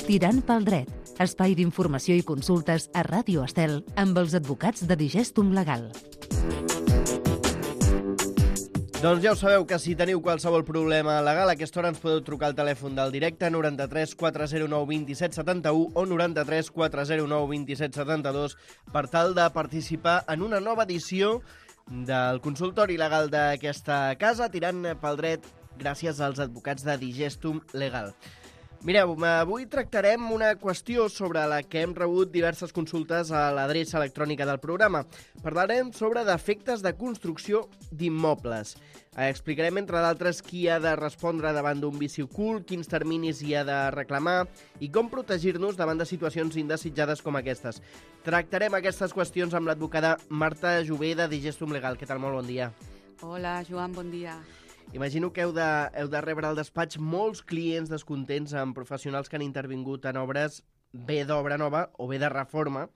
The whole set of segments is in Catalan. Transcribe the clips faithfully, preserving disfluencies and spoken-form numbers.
Tirant pel dret, espai d'informació i consultes a Ràdio Estel amb els advocats de Digestum Legal. Doncs ja ho sabeu, que si teniu qualsevol problema legal, a aquesta hora ens podeu trucar al telèfon del directe noranta-tres quatre zero nou vint set setanta-u o noranta-tres quatre zero nou vint set setanta-dos per tal de participar en una nova edició del consultori legal d'aquesta casa, tirant pel dret gràcies als advocats de Digestum Legal. Mireu, avui tractarem una qüestió sobre la que hem rebut diverses consultes a l'adreça electrònica del programa. Parlarem sobre defectes de construcció d'immobles. Explicarem, entre d'altres, qui ha de respondre davant d'un vici ocult, quins terminis hi ha de reclamar i com protegir-nos davant de situacions indesitjades com aquestes. Tractarem aquestes qüestions amb l'advocada Marta Jové de Digestum Legal. Què tal? Molt bon dia. Hola, Joan, bon dia. Imagino que heu de, heu de rebre al despatx molts clients descontents amb professionals que han intervingut en obres bé d'obra nova o bé de reforma.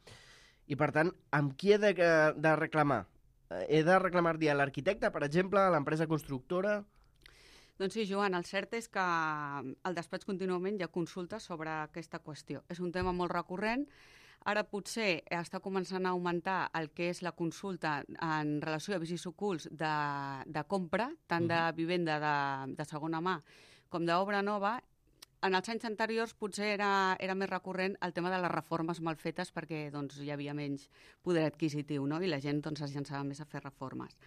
I, per tant, amb qui he de, de reclamar? He de reclamar-li a l'arquitecte, per exemple, a l'empresa constructora? Doncs sí, Joan, el cert és que al despatx contínuament hi ha consultes sobre aquesta qüestió. És un tema molt recurrent. Ara potser està començant a augmentar el que és la consulta en relació a vicis ocults de, de compra, tant de vivenda de, de segona mà com d'obra nova. En els anys anteriors potser era, era més recurrent el tema de les reformes mal fetes perquè doncs, hi havia menys poder adquisitiu, no? I la gent doncs, es llançava més a fer reformes.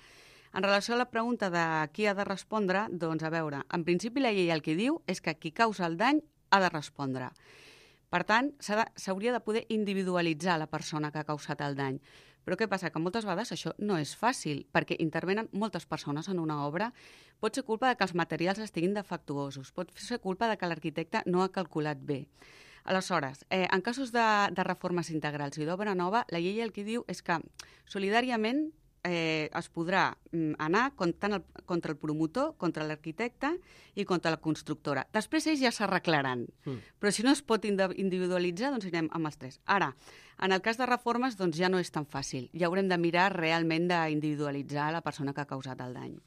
En relació a la pregunta de qui ha de respondre, doncs a veure, en principi la llei el que diu és que qui causa el dany ha de respondre. Per tant, s'hauria de poder individualitzar la persona que ha causat el dany. Però què passa? Que moltes vegades això no és fàcil, perquè intervenen moltes persones en una obra. Pot ser culpa de que els materials estiguin defectuosos, pot ser culpa de que l'arquitecte no ha calculat bé. Aleshores, eh, en casos de, de reformes integrals i d'obra nova, la llei el que diu és que solidàriament eh, es podrà anar contra el, contra el promotor, contra l'arquitecte i contra la constructora. Després ells ja s'arreglaran, mm. però si no es pot individualitzar, doncs anem amb els tres. Ara, en el cas de reformes, doncs ja no és tan fàcil. Ja haurem de mirar realment d'individualitzar la persona que ha causat el dany.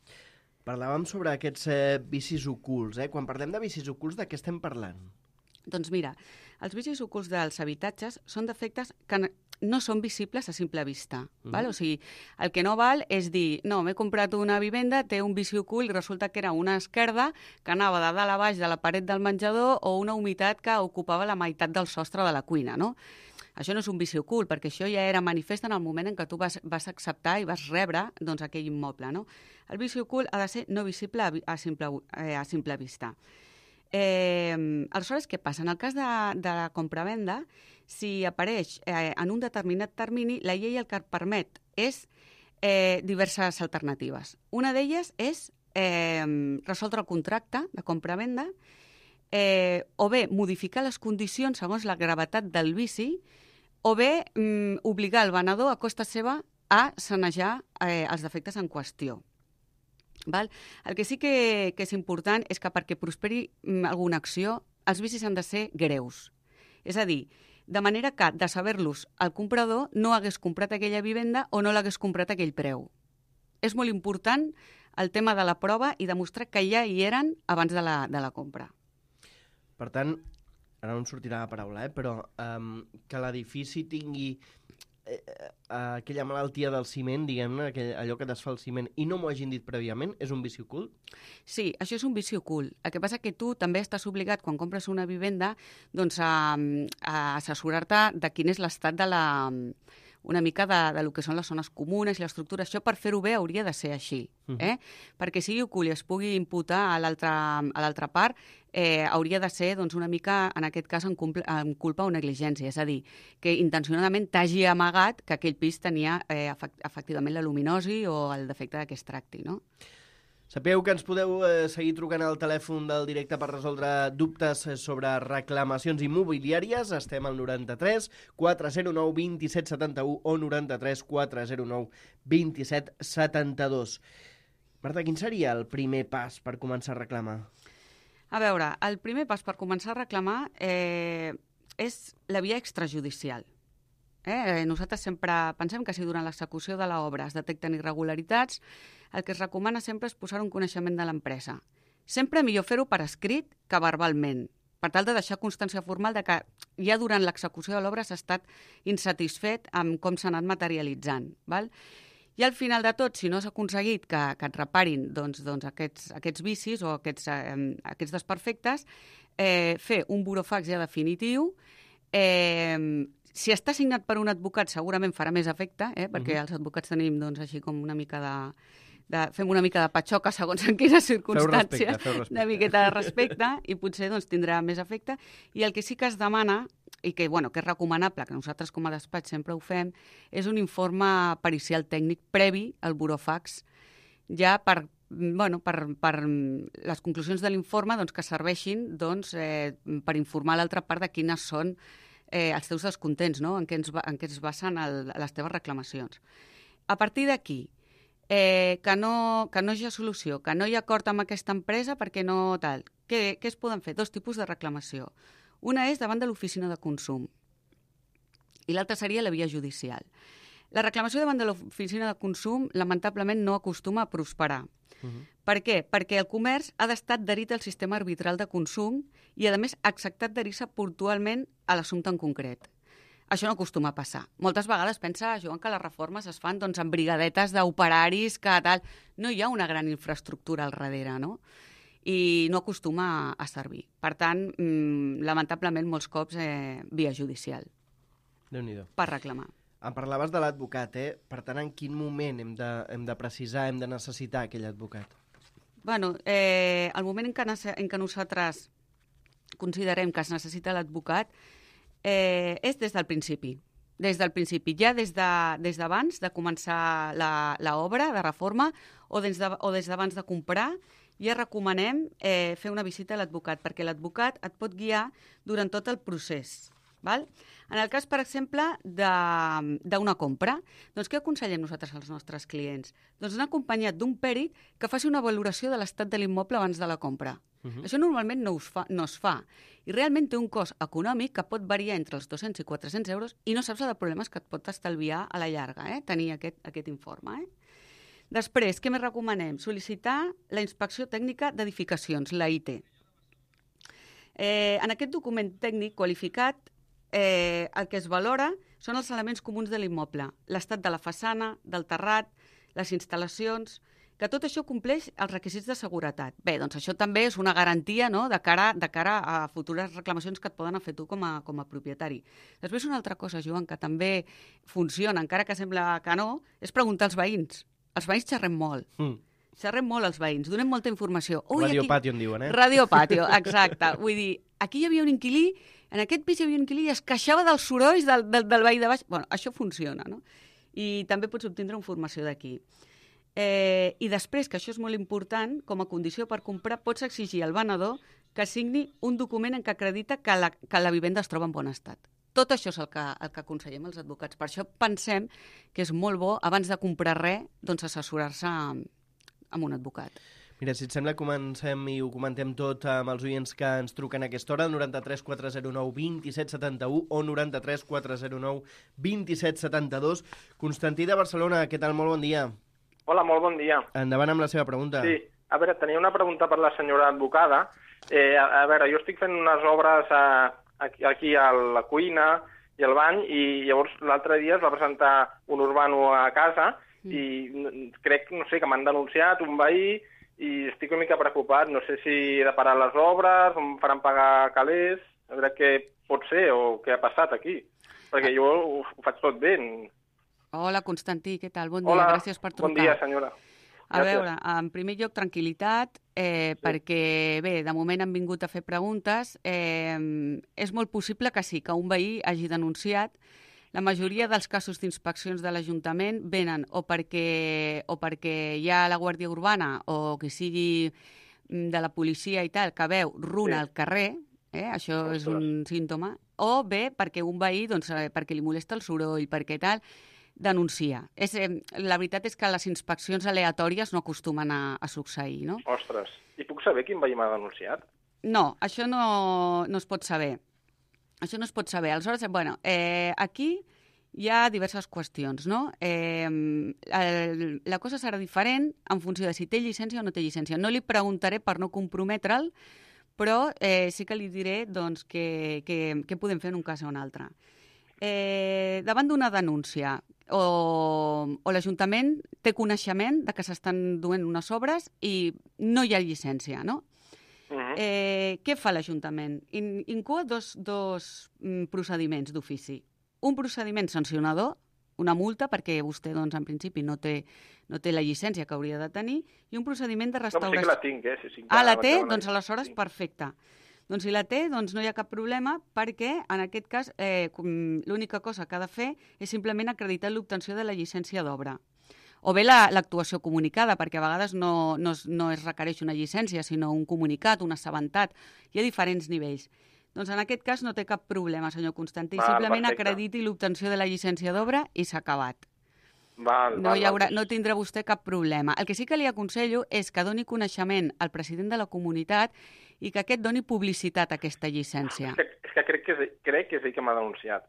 Parlàvem sobre aquests eh, vicis ocults. Eh? Quan parlem de vicis ocults, de què estem parlant? Doncs mira, els vicis ocults dels habitatges són defectes que no són visibles a simple vista. Mm. Val? O sigui, el que no val és dir, no, m'he comprat una vivenda, té un vici ocult i resulta que era una esquerda que anava de dalt a baix de la paret del menjador o una humitat que ocupava la meitat del sostre de la cuina, no? Això no és un vici ocult, perquè això ja era manifest en el moment en què tu vas, vas acceptar i vas rebre doncs, aquell immoble, no? El vici ocult ha de ser no visible a, a, simple, eh, a simple vista. Eh, aleshores, què passa? En el cas de, de la compravenda, si apareix eh, en un determinat termini, la llei el que et permet és eh, diverses alternatives. Una d'elles és eh, resoldre el contracte de compravenda eh, o bé modificar les condicions segons la gravetat del vici o bé mm, obligar el venedor a costa seva a sanejar eh, els defectes en qüestió. Val? El que sí que, que és important és que perquè prosperi alguna acció, els vicis han de ser greus. És a dir, de manera que, de saber-los, el comprador no hagués comprat aquella vivenda o no l'hagués comprat a aquell preu. És molt important el tema de la prova i demostrar que ja hi eren abans de la, de la compra. Per tant, ara no em sortirà la paraula, eh? però um, que l'edifici tingui eh, aquella malaltia del ciment, diguem-ne, allò que desfà el ciment, i no m'ho hagin dit prèviament, és un vici ocult? Sí, això és un vici ocult. El que passa que tu també estàs obligat, quan compres una vivenda, doncs a, a assessorar-te de quin és l'estat de la... una mica de, de lo que són les zones comunes i l'estructura. Això, per fer-ho bé, hauria de ser així. Eh? Uh-huh. Perquè sigui ocult i es pugui imputar a l'altra part, eh, hauria de ser doncs, una mica, en aquest cas, en, en culpa o negligència. És a dir, que intencionadament t'hagi amagat que aquell pis tenia eh, efectivament la luminosi o el defecte que es tracti, no? Sapeu que ens podeu eh, seguir trucant al telèfon del directe per resoldre dubtes sobre reclamacions immobiliàries. Estem al noranta-tres quatre zero nou vint set setanta-u o noranta-tres quatre zero nou vint set setanta-dos. Marta, quin seria el primer pas per començar a reclamar? A veure, el primer pas per començar a reclamar eh, és la via extrajudicial. Eh? Nosaltres sempre pensem que si durant l'execució de l'obra es detecten irregularitats, el que es recomana sempre és posar un coneixement de l'empresa. Sempre millor fer-ho per escrit que verbalment. per tal de deixar constància formal de que ja durant l'execució de l'obra s'ha estat insatisfet amb com s'ha anat materialitzant. Val? I al final de tot, si no s'ha aconseguit que, que et reparin doncs, doncs aquests, aquests vicis o aquests, eh, aquests desperfectes, eh, fer un burofax ja definitiu. Eh, si està signat per un advocat segurament farà més efecte, eh, perquè uh-huh. els advocats tenim doncs, així com una mica de... De, fem una mica de patxoca segons en quines circumstàncies, feu respecte, feu respecte. una miqueta de respecte i potser doncs, tindrà més efecte. I el que sí que es demana, i que, bueno, que és recomanable, que nosaltres com a despatx sempre ho fem, és un informe pericial tècnic previ al burofax, ja per, bueno, per, per les conclusions de l'informe doncs, que serveixin doncs, eh, per informar l'altra part de quines són eh, els teus descontents, no? en, què ens, en què es basen el, les teves reclamacions. A partir d'aquí, Eh, que, no, que no hi ha solució, que no hi ha acord amb aquesta empresa perquè no tal. Què, què es poden fer? Dos tipus de reclamació. Una és davant de l'oficina de consum i l'altra seria la via judicial. La reclamació davant de l'oficina de consum lamentablement no acostuma a prosperar. Uh-huh. Per què? Perquè el comerç ha d'estar adherit al sistema arbitral de consum i, a més, ha acceptat adherir-se puntualment a l'assumpte en concret. Això no acostuma a passar. Moltes vegades pensa, Joan, que les reformes es fan doncs, amb brigadetes d'operaris, que tal. No hi ha una gran infraestructura al darrere, no? I no acostuma a servir. Per tant, mmm, lamentablement, molts cops eh, via judicial. Déu-n'hi-do. Per reclamar. Em parlaves de l'advocat, eh? Per tant, en quin moment hem de, hem de precisar, hem de necessitar aquell advocat? Bueno, eh, el moment en què, en què nosaltres considerem que es necessita l'advocat Eh, és des del principi. Des del principi, ja des d'abans de, des de començar l'obra de reforma o des d'abans de, de comprar, ja recomanem eh, fer una visita a l'advocat, perquè l'advocat et pot guiar durant tot el procés. Val? En el cas, per exemple, d'una compra, doncs què aconsellem nosaltres als nostres clients? Doncs anar acompanyat d'un pèrit que faci una valoració de l'estat de l'immoble abans de la compra. Uh-huh. Això normalment no, us fa, no es fa. I realment té un cost econòmic que pot variar entre els dos-cents i quatre-cents euros i no saps el de problemes que et pot estalviar a la llarga, eh? tenir aquest, aquest informe. Eh? Després, què més recomanem? Sol·licitar la inspecció tècnica d'edificacions, la I T. Eh, en aquest document tècnic qualificat, eh, el que es valora són els elements comuns de l'immoble, l'estat de la façana, del terrat, les instal·lacions, que tot això compleix els requisits de seguretat. Bé, doncs això també és una garantia, no?, de cara, de cara a futures reclamacions que et poden fer tu com a, com a propietari. Després una altra cosa, Joan, que també funciona, encara que sembla que no, és preguntar als veïns. Els veïns xerrem molt. Mm. Xerrem molt els veïns, donem molta informació. Ui, Radio aquí... Patio en diuen, eh? Radio Patio, exacte. Vull dir, aquí hi havia un inquilí, en aquest pis hi havia un inquilí i es queixava dels sorolls del, del, del veí de baix. Bueno, això funciona, no? I també pots obtindre informació d'aquí. Eh, I després, que això és molt important, com a condició per comprar, pots exigir al venedor que signi un document en què acredita que la, que la vivenda es troba en bon estat. Tot això és el que, el que aconsellem als advocats. Per això pensem que és molt bo, abans de comprar res, doncs assessorar-se amb, amb un advocat. Mira, si et sembla, comencem i ho comentem tot amb els oients que ens truquen a aquesta hora, noranta-tres quatre zero nou vint set setanta-u o noranta-tres quatre zero nou vint set setanta-dos. Constantí de Barcelona, què tal? Molt bon dia. Hola, molt bon dia. Endavant amb la seva pregunta. Sí, a veure, tenia una pregunta per la senyora advocada. Eh, a, a veure, jo estic fent unes obres a, aquí, aquí a la cuina i al bany i llavors l'altre dia es va presentar un urbano a casa mm. i crec, no sé, que m'han denunciat un veí i estic una mica preocupat. No sé si he de parar les obres, o em faran pagar calés, a veure què pot ser o què ha passat aquí. Perquè jo ho, ho faig tot bé. Hola, Constantí, què tal? Bon dia, Hola, gràcies per trucar. Bon dia, senyora. A veure, en primer lloc, tranquil·litat, eh, sí. perquè, bé, de moment han vingut a fer preguntes. Eh, és molt possible que sí, que un veí hagi denunciat. La majoria dels casos d'inspeccions de l'Ajuntament venen o perquè, o perquè hi ha la Guàrdia Urbana o que sigui de la policia i tal, que veu runa sí. al carrer, eh, això Ostres. és un símptoma, o bé perquè un veí, doncs, perquè li molesta el soroll, perquè tal, denuncia. És, eh, la veritat és que les inspeccions aleatòries no acostumen a, a succeir, no? Ostres, i puc saber quin veí m'ha denunciat? No, això no, no es pot saber. Això no es pot saber. Aleshores, bueno, eh, aquí hi ha diverses qüestions, no? Eh, el, la cosa serà diferent en funció de si té llicència o no té llicència. No li preguntaré per no comprometre'l, però eh, sí que li diré doncs, què que, que podem fer en un cas o un altre. Eh, davant d'una denúncia o, o l'Ajuntament té coneixement de que s'estan duent unes obres i no hi ha llicència, no? Uh-huh. Eh, què fa l'Ajuntament? In, incua dos, dos mm, procediments d'ofici. Un procediment sancionador, una multa, perquè vostè, doncs, en principi, no té, no té la llicència que hauria de tenir, i un procediment de restauració. No, sí que la tinc, eh? Sí, sí, ah, la té? Doncs aleshores, perfecte. Doncs si la té, doncs no hi ha cap problema, perquè, en aquest cas, eh, l'única cosa que ha de fer és simplement acreditar l'obtenció de la llicència d'obra. O bé l'actuació comunicada, perquè a vegades no, no, es, no es requereix una llicència, sinó un comunicat, un assabentat. Hi ha diferents nivells. Doncs en aquest cas no té cap problema, senyor Constantí. Val, simplement perfecte. Acrediti l'obtenció de la llicència d'obra i s'ha acabat. Val, no, val, hi haurà, val. no tindrà vostè cap problema. El que sí que li aconsello és que doni coneixement al president de la comunitat i que aquest doni publicitat a aquesta llicència. És que, és que crec, que és, crec que és ell que m'ha denunciat.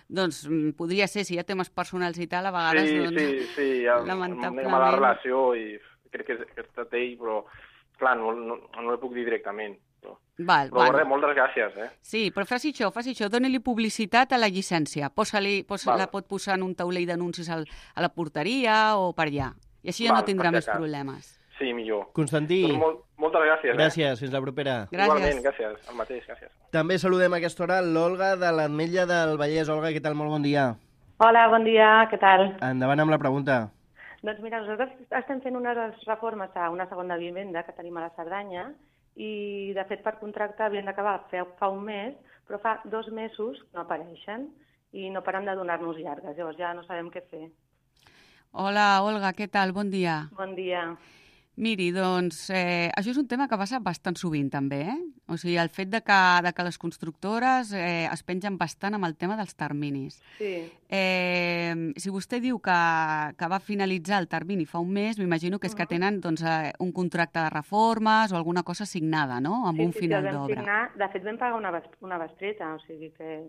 Doncs podria ser, si hi ha temes personals i tal, a vegades... Sí, doncs, sí, sí, ja, lamentablement... Una mala relació i crec que, és, que ha estat ell, però clar, no, no, no l'hi puc dir directament. Però, val, però val. res, moltes gràcies. Eh? Sí, però faci això, faci això, doni-li publicitat a la llicència. Posa-li, posa, la pot posar en un taulell d'anuncis a la porteria o per allà. I així ja val, no tindrà més cas. problemes. Sí, millor. Constantí. Doncs molt, moltes gràcies. Gràcies, eh? fins la propera. Gràcies. Igualment, gràcies. El mateix, gràcies. També saludem a aquesta hora l'Olga de l'Ametlla del Vallès. Olga, què tal? Molt bon dia. Hola, bon dia, què tal? Endavant amb la pregunta. Doncs mira, nosaltres estem fent unes reformes a una segona vivenda que tenim a la Cerdanya i, de fet, per contracte havien d'acabar fa un mes, però fa dos mesos no apareixen i no paren de donar-nos llargues. Llavors ja no sabem què fer. Hola, Olga, què tal? Bon dia. Bon dia. Miri, doncs, eh, això és un tema que passa bastant sovint, també, eh? O sigui, el fet de que, de que les constructores eh, es pengen bastant amb el tema dels terminis. Sí. Eh, si vostè diu que, que va finalitzar el termini fa un mes, m'imagino que és que tenen doncs, eh, un contracte de reformes o alguna cosa signada, no?, amb sí, un sí, final sí, d'obra. Signar... De fet, vam pagar una, una bestreta, o sigui que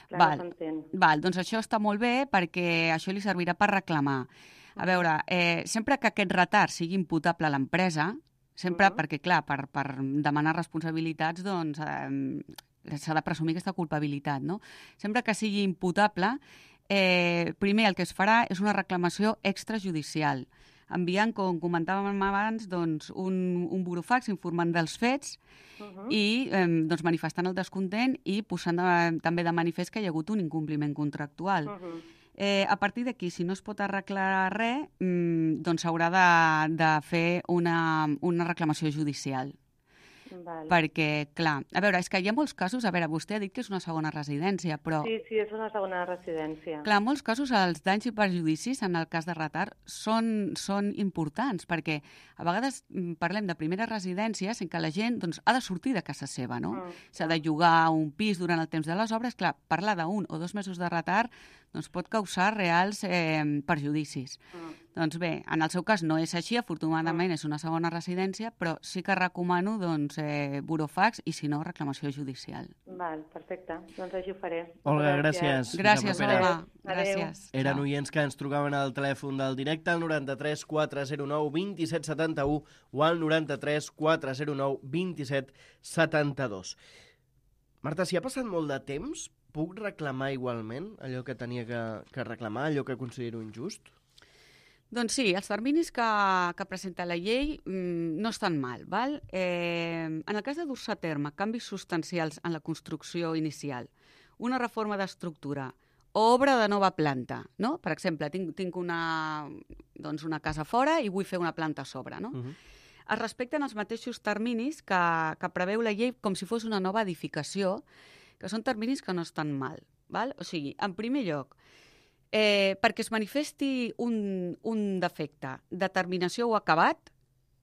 clar, val, no s'entén. Val, doncs això està molt bé perquè això li servirà per reclamar. A veure, eh, sempre que aquest retard sigui imputable a l'empresa, sempre, uh -huh. perquè, clar, per, per demanar responsabilitats, doncs, eh, s'ha de presumir aquesta culpabilitat, no? Sempre que sigui imputable, eh, primer el que es farà és una reclamació extrajudicial, enviant, com comentàvem abans, doncs, un, un burofax informant dels fets uh -huh. i eh, doncs, manifestant el descontent i posant de, també de manifest que hi ha hagut un incompliment contractual. Uh -huh. Eh, a partir d'aquí, si no es pot arreglar res, mmm, doncs s'haurà de, de fer una, una reclamació judicial. Vale. Perquè, clar, a veure, és que hi ha molts casos, a veure, vostè ha dit que és una segona residència, però... Sí, sí, és una segona residència. Clar, en molts casos els danys i perjudicis, en el cas de retard, són, són importants, perquè a vegades parlem de primeres residències en què la gent doncs, ha de sortir de casa seva, no? Mm. S'ha de llogar un pis durant el temps de les obres, clar, parlar d'un o dos mesos de retard doncs pot causar reals eh, perjudicis. Mm. Doncs bé, en el seu cas no és així, afortunadament mm. és una segona residència, però sí que recomano doncs, eh, burofax i, si no, reclamació judicial. Val, perfecte. Doncs així ho faré. Olga, gràcies. Gràcies, Olga. Gràcies. Eren oients que ens trucaven al telèfon del directe al noranta-tres quatre zero nou vint set setanta-u o al noranta-tres quatre zero nou vint set setanta-dos. Marta, si ha passat molt de temps, puc reclamar igualment allò que tenia que, que reclamar, allò que considero injust? Doncs sí, els terminis que, que presenta la llei mmm, no estan mal. Val? Eh, en el cas de dur-se a terme canvis substancials en la construcció inicial, una reforma d'estructura o obra de nova planta, no? Per exemple, tinc, tinc una, doncs una casa fora i vull fer una planta a sobre, no? Uh-huh. Es respecten els mateixos terminis que, que preveu la llei com si fos una nova edificació, que són terminis que no estan mal. Val? O sigui, en primer lloc, eh, perquè es manifesti un, un defecte de terminació o acabat,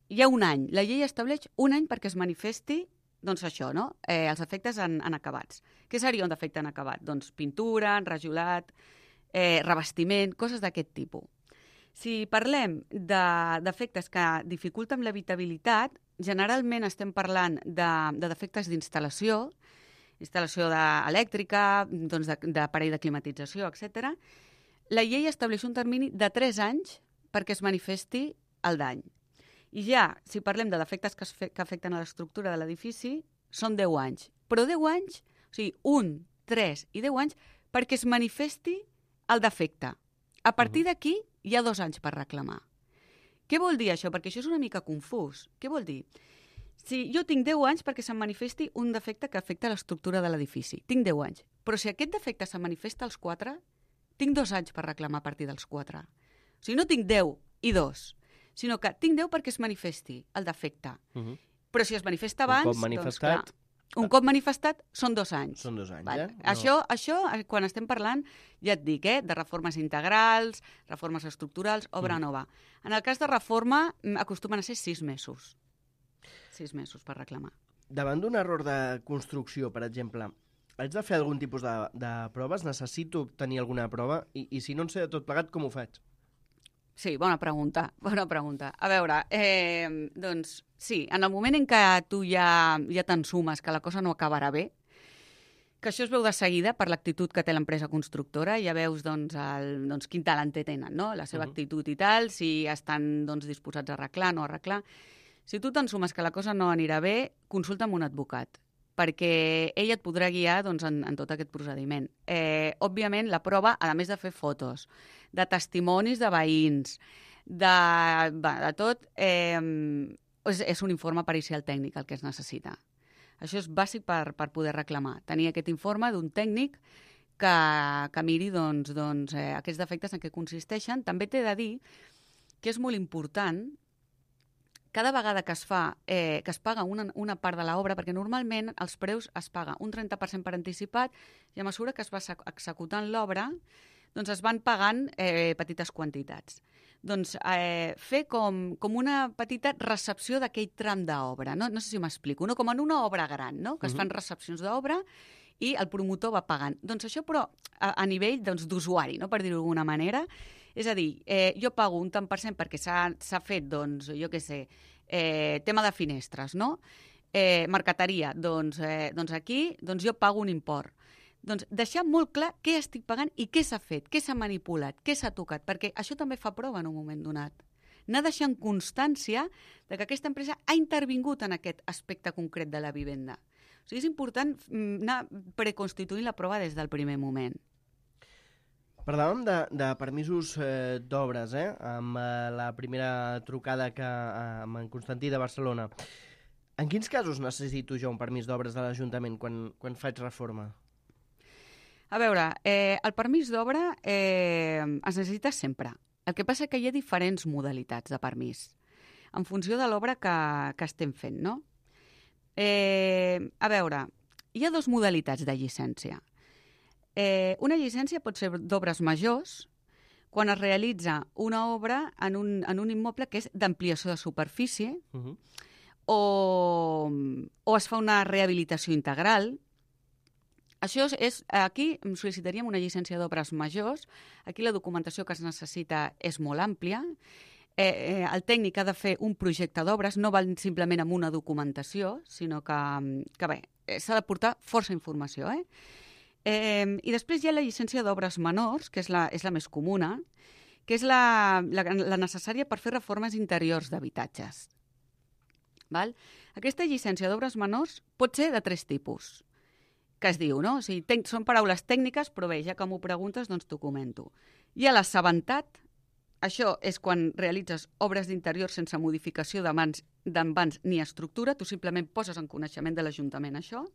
hi ha un any. La llei estableix un any perquè es manifesti doncs això, no? Eh, els efectes en, en acabats. Què seria un defecte en acabat? Doncs pintura, enrajolat, eh, revestiment, coses d'aquest tipus. Si parlem de defectes que dificulten l'habitabilitat, generalment estem parlant de, de defectes d'instal·lació, instal·lació elèctrica, doncs d'aparell de, de climatització, etcètera. La llei estableix un termini de tres anys perquè es manifesti el dany. I ja, si parlem de defectes que, es fe, que afecten a l'estructura de l'edifici, són deu anys. Però deu anys, o sigui, un, tres i deu anys, perquè es manifesti el defecte. A partir d'aquí hi ha dos anys per reclamar. Què vol dir això? Perquè això és una mica confús. Què vol dir? Si jo tinc deu anys perquè se'm manifesti un defecte que afecta l'estructura de l'edifici. Tinc deu anys. Però si aquest defecte se manifesta als quatre, tinc dos anys per reclamar a partir dels quatre. O sigui, no tinc deu i dos, sinó que tinc deu perquè es manifesti el defecte. Uh -huh. Però si es manifesta abans, un cop manifestat, doncs clar, un cop manifestat són dos anys. Són dos anys, vale. eh? No. Això, això, quan estem parlant, ja et dic, eh, de reformes integrals, reformes estructurals, obra uh -huh. nova. En el cas de reforma, acostumen a ser sis mesos. Sis mesos per reclamar. Davant d'un error de construcció, per exemple, haig de fer algun tipus de, de proves? Necessito tenir alguna prova? I, I si no en sé de tot plegat, com ho faig? Sí, bona pregunta, bona pregunta. A veure, eh, doncs sí, en el moment en què tu ja, ja t'ensumes que la cosa no acabarà bé, que això es veu de seguida per l'actitud que té l'empresa constructora, ja veus doncs, el, doncs, quin talentet tenen, no? La seva uh -huh. actitud i tal, si estan doncs, disposats a arreglar, no arreglar. Si tu t'ensumes que la cosa no anirà bé, consulta amb un advocat, perquè ell et podrà guiar doncs, en, en tot aquest procediment. Eh, òbviament, la prova, a més de fer fotos, de testimonis de veïns, de, de tot, eh, és, és un informe pericial tècnic el que es necessita. Això és bàsic per, per poder reclamar. Tenir aquest informe d'un tècnic que, que miri doncs, doncs, eh, aquests defectes en què consisteixen. També t'he de dir que és molt important cada vegada que es fa, eh, que es paga una, una part de l'obra, perquè normalment els preus es paga un trenta per cent per anticipat i a mesura que es va executant l'obra, doncs es van pagant eh, petites quantitats. Doncs eh, fer com, com una petita recepció d'aquell tram d'obra, no? No sé si m'explico, no? Com en una obra gran, no? Que es fan recepcions d'obra i el promotor va pagant. Doncs això, però, a, a nivell doncs, d'usuari, no? Per dir-ho d'alguna manera. És a dir, eh, jo pago un tant per cent perquè s'ha fet, doncs, jo què sé, eh, tema de finestres, no? Eh, marqueteria, doncs, eh, doncs aquí doncs jo pago un import. Doncs deixar molt clar què estic pagant i què s'ha fet, què s'ha manipulat, què s'ha tocat, perquè això també fa prova en un moment donat. Anar deixant constància de que aquesta empresa ha intervingut en aquest aspecte concret de la vivenda. O sigui, és important anar preconstituint la prova des del primer moment. Parlàvem de, de permisos eh, d'obres, eh? Amb eh, la primera trucada que, eh, amb en Constantí de Barcelona. En quins casos necessito jo un permís d'obres de l'Ajuntament quan, quan faig reforma? A veure, eh, el permís d'obra eh, es necessita sempre. El que passa és que hi ha diferents modalitats de permís, en funció de l'obra que, que estem fent, no? Eh, a veure, hi ha dues modalitats de llicència. Eh, una llicència pot ser d'obres majors, quan es realitza una obra en un, en un immoble que és d'ampliació de superfície, uh-huh. o, o es fa una rehabilitació integral. Això és, aquí sol·licitaríem una llicència d'obres majors. Aquí la documentació que es necessita és molt àmplia. Eh, eh, el tècnic ha de fer un projecte d'obres, no val simplement amb una documentació, sinó que, que bé, s'ha de portar força informació, eh? Eh, I després hi ha la llicència d'obres menors, que és la, és la més comuna, que és la, la, la necessària per fer reformes interiors d'habitatges. Val? Aquesta llicència d'obres menors pot ser de tres tipus, que es diu, no? O sigui, ten, són paraules tècniques, però bé, ja que m'ho preguntes, doncs t'ho comento. Hi ha l'assabentat, això és quan realitzes obres d'interior sense modificació d'envans ni estructura, tu simplement poses en coneixement de l'Ajuntament això.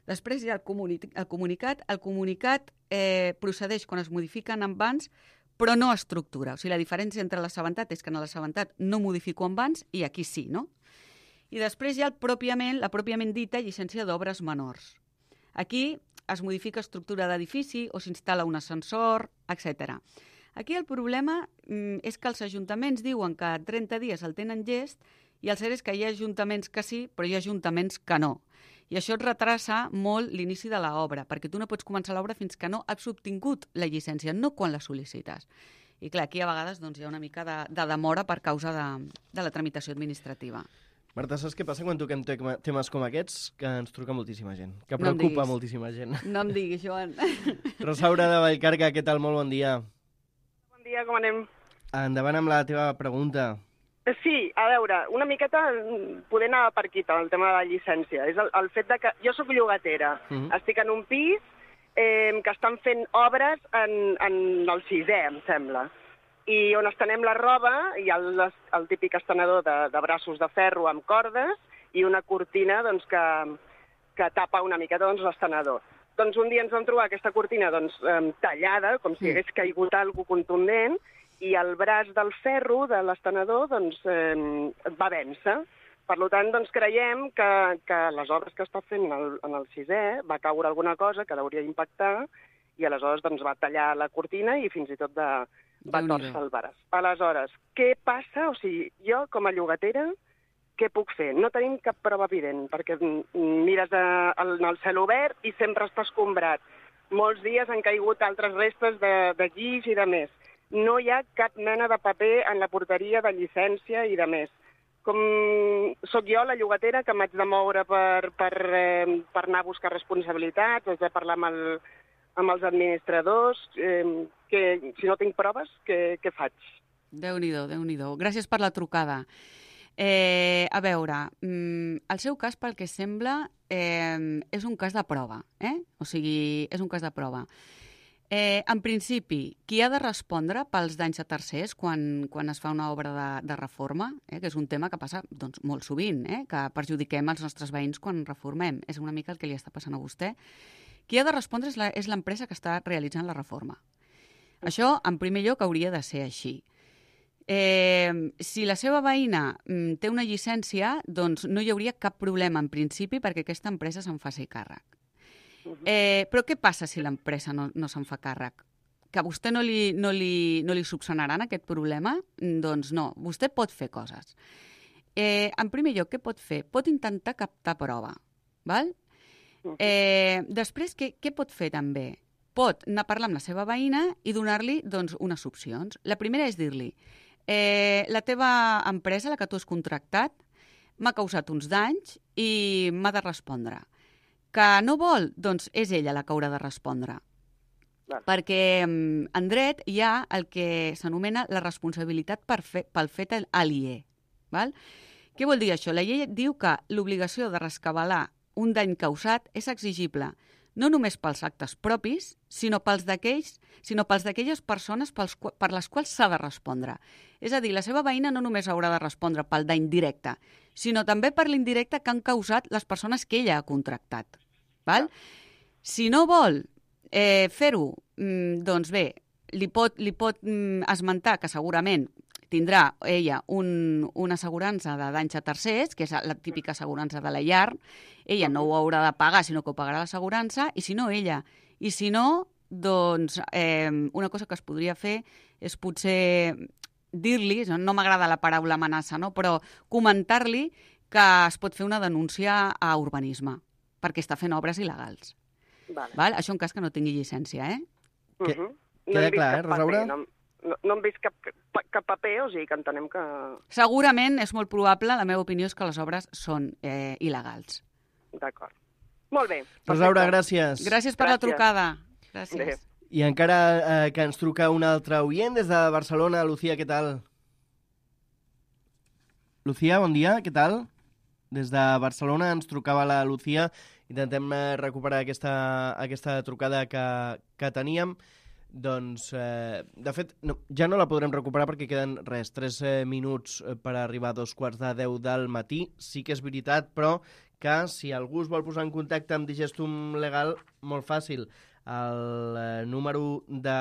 Després hi ha el, comuni el comunicat. El comunicat eh, procedeix quan es modifiquen envans, però no estructura. O sigui, la diferència entre l'assabentat és que en l'assabentat no modifico envans i aquí sí, no? I després hi ha el pròpiament, la pròpiament dita llicència d'obres menors. Aquí es modifica estructura d'edifici o s'instal·la un ascensor, etcètera. Aquí el problema mm, és que els ajuntaments diuen que trenta dies el tenen llest i el cert és que hi ha ajuntaments que sí, però hi ha ajuntaments que no. I això et retrasa molt l'inici de l'obra, perquè tu no pots començar l'obra fins que no has obtingut la llicència, no quan la sol·licites. I clar, aquí a vegades doncs, hi ha una mica de, de demora per causa de, de la tramitació administrativa. Marta, saps què passa quan toquem temes com aquests? Que ens truca moltíssima gent, que preocupa no moltíssima gent. No em diguis, Joan. Rosaura de Vallcarca, què tal? Molt bon dia. Bon dia, com anem? Endavant amb la teva pregunta. Sí, a veure, una miqueta poder anar per aquí, el tema de la llicència. És el, el fet de que jo sóc llogatera, mm. estic en un pis eh, que estan fent obres en, en el sisè, em sembla, i on estenem la roba hi ha el, el típic estenedor de, de braços de ferro amb cordes i una cortina doncs, que, que tapa una miqueta doncs, l'estenedor. Doncs un dia ens vam trobar aquesta cortina doncs, eh, tallada, com si hagués caigut alguna cosa contundent, i el braç del ferro de l'estenedor doncs, eh, va vèncer. Per tant, doncs, creiem que, que les obres que està fent en el, en el sisè va caure alguna cosa que l'hauria d'impactar i aleshores doncs, va tallar la cortina i fins i tot de, va torcer el braç. Aleshores, què passa? O sigui, jo com a llogatera, què puc fer? No tenim cap prova evident, perquè mires a, en el cel obert i sempre està escombrat. Molts dies han caigut altres restes de, de guix i de més. No hi ha cap mena de paper en la porteria de llicència i de més. Com sóc jo, la llogatera, que m'haig de moure per, per, eh, per anar a buscar responsabilitats, haig de parlar amb, el, amb els administradors, eh, que si no tinc proves, què, què faig? Déu-n'hi-do, Déu-n'hi-do. Gràcies per la trucada. Eh, a veure, el seu cas, pel que sembla, eh, és un cas de prova, eh? O sigui, és un cas de prova. Eh, en principi, qui ha de respondre pels danys a tercers quan, quan es fa una obra de, de reforma, eh, que és un tema que passa doncs, molt sovint, eh, que perjudiquem els nostres veïns quan reformem. És una mica el que li està passant a vostè. Qui ha de respondre és, la, és l'empresa que està realitzant la reforma. Això, en primer lloc, hauria de ser així. Eh, si la seva veïna mm, té una llicència, doncs no hi hauria cap problema en principi perquè aquesta empresa se'n faci càrrec. Eh, però què passa si l'empresa no, no se'n fa càrrec? Que a vostè no li, no, li, no li subsanaran aquest problema? Doncs no, vostè pot fer coses. Eh, en primer lloc, què pot fer? Pot intentar captar prova. Val? Eh, després, què, què pot fer també? Pot anar a parlar amb la seva veïna i donar-li doncs, unes opcions. La primera és dir-li eh, la teva empresa, la que tu has contractat, m'ha causat uns danys i m'ha de respondre. Que no vol? Doncs és ella la que haurà de respondre. Clar. Perquè en dret hi ha el que s'anomena la responsabilitat per fe, pel fet aliè. Val? Què vol dir això? La llei diu que l'obligació de rescabalar un dany causat és exigible no només pels actes propis, sinó pels d'aquells, sinó pels d'aquelles persones pels, per les quals s'ha de respondre. És a dir, la seva veïna no només haurà de respondre pel dany directe, sinó també per l'indirecte que han causat les persones que ella ha contractat. Val? Si no vol eh, fer-ho, mm, doncs bé, li pot, li pot mm, esmentar que segurament tindrà ella un, una assegurança de danys a tercers, que és la típica assegurança de la llar. Ella no ho haurà de pagar, sinó que ho pagarà l'assegurança, i si no, ella. I si no, doncs eh, una cosa que es podria fer és potser dir-li, no m'agrada la paraula amenaça, no? Però comentar-li que es pot fer una denúncia a urbanisme, perquè està fent obres il·legals. Vale. Val? Això en cas que no tingui llicència, eh? Uh -huh. No queda clar, eh, Rosaura? No, no, no hem vist cap, cap paper, o sigui que entenem que... Segurament és molt probable, la meva opinió és que les obres són eh, il·legals. D'acord. Molt bé. Rosaura, gràcies. Gràcies per gràcies. la trucada. Gràcies. Bé. I encara eh, que ens truca un altre oient des de Barcelona. Lucía, què tal? Lucía, bon dia, què tal? Des de Barcelona ens trucava la Lucía. Intentem recuperar aquesta, aquesta trucada que, que teníem. Doncs, eh, de fet, no, ja no la podrem recuperar perquè queden, res, tres eh, minuts per arribar a dos quarts de deu del matí. Sí que és veritat, però que si algú es vol posar en contacte amb Digestum Legal, molt fàcil. El eh, número de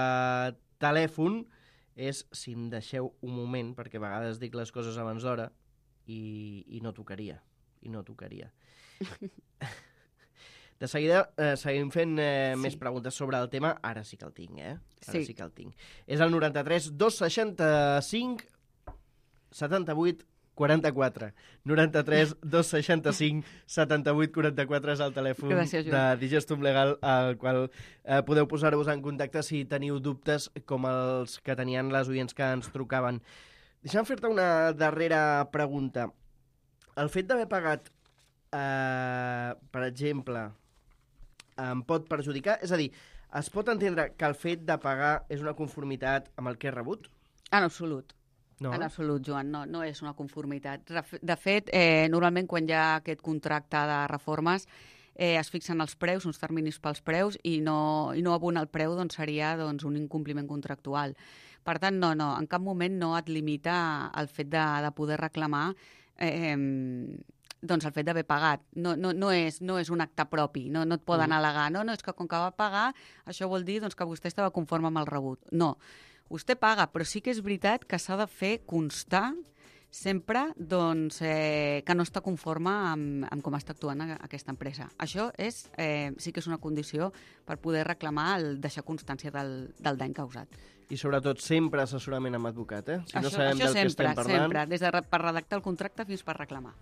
telèfon és, si em deixeu un moment, perquè a vegades dic les coses abans d'hora i, i no tocaria. I no tocaria. De seguida eh, seguim fent eh, sí. més preguntes sobre el tema. Ara sí que el tinc, eh? Ara sí, sí que el tinc. És el noranta-tres dos seixanta-cinc setanta-vuit quaranta-quatre. noranta-tres dos seixanta-cinc setanta-vuit quaranta-quatre és el telèfon Gràcies, de Digestum Legal al qual eh, podeu posar-vos en contacte si teniu dubtes com els que tenien les oients que ens trucaven. Deixa'm fer-te una darrera pregunta. El fet d'haver pagat, eh, per exemple, em pot perjudicar? És a dir, es pot entendre que el fet de pagar és una conformitat amb el que he rebut? En absolut. No? En absolut, Joan, no, no és una conformitat. De fet, eh, normalment quan hi ha aquest contracte de reformes eh, es fixen els preus, uns terminis pels preus, i no, i no abona el preu doncs, seria doncs, un incompliment contractual. Per tant, no, no, en cap moment no et limita el fet de, de poder reclamar eh, doncs el fet d'haver pagat. No, no, no, és, no és un acte propi, no, no et poden mm. al·legar. No, no, és que com que va pagar, això vol dir doncs, que vostè estava conforme amb el rebut. No, vostè paga, però sí que és veritat que s'ha de fer constar sempre doncs, eh, que no està conforme amb, amb com està actuant aquesta empresa. Això és, eh, sí que és una condició per poder reclamar el deixar constància del, del dany causat. I sobretot sempre assessorament amb advocat, eh? Si això, no sabem això del sempre, que estem parlant... sempre, des de per redactar el contracte fins per reclamar.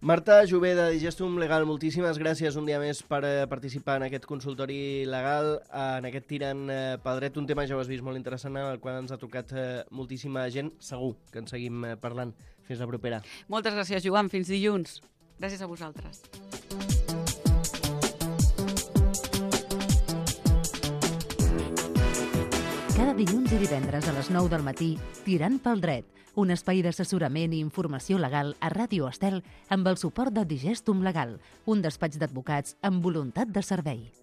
Marta Jové, de Digestum Legal, moltíssimes gràcies un dia més per eh, participar en aquest consultori legal, eh, en aquest tirant eh, pel dret, un tema, ja ho has vist, molt interessant, al qual ens ha trucat eh, moltíssima gent. Segur que en seguim eh, parlant. Fins la propera. Moltes gràcies, Joan. Fins dilluns. Gràcies a vosaltres. Cada dilluns i divendres a les nou del matí, Tirant pel dret, un espai d'assessorament i informació legal a Ràdio Estel amb el suport de Digestum Legal, un despatx d'advocats amb voluntat de servei.